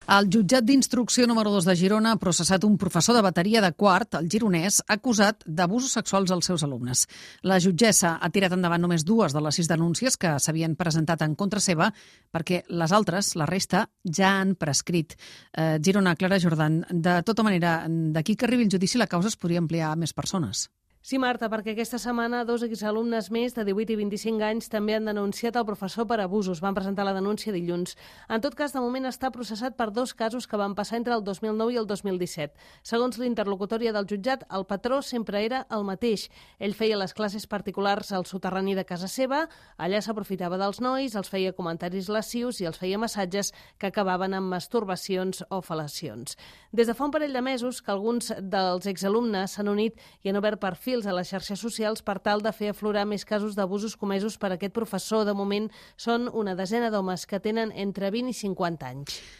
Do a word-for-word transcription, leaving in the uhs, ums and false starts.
El jutjat d'instrucció número dos de Girona ha processat un professor de bateria de quart, el gironès, acusat d'abusos sexuals als seus alumnes. La jutgessa ha tirat endavant només dues de les sis denúncies que s'havien presentat en contra seva, perquè les altres, la resta, ja han prescrit. Eh, Girona, Clara Jordan, de tota manera, d'aquí que arribi el judici la causa es podria ampliar a més persones. Sí, Marta, perquè aquesta setmana dos exalumnes més de divuit i vint-i-cinc anys també han denunciat el professor per abusos. Van presentar la denúncia dilluns. En tot cas, de moment està processat per dos casos que van passar entre el dos mil nou i el dos mil disset. Segons l'interlocutòria del jutjat, el patró sempre era el mateix. Ell feia les classes particulars al soterrani de casa seva, allà s'aprofitava dels nois, els feia comentaris lascius i els feia massatges que acabaven amb masturbacions o fel·lacions. Des de fa un parell de mesos que alguns dels exalumnes s'han unit i han obert perfils a les xarxes socials per tal de fer aflorar més casos d'abusos comesos per aquest professor. De moment són una desena d'homes que tenen entre vint i cinquanta anys.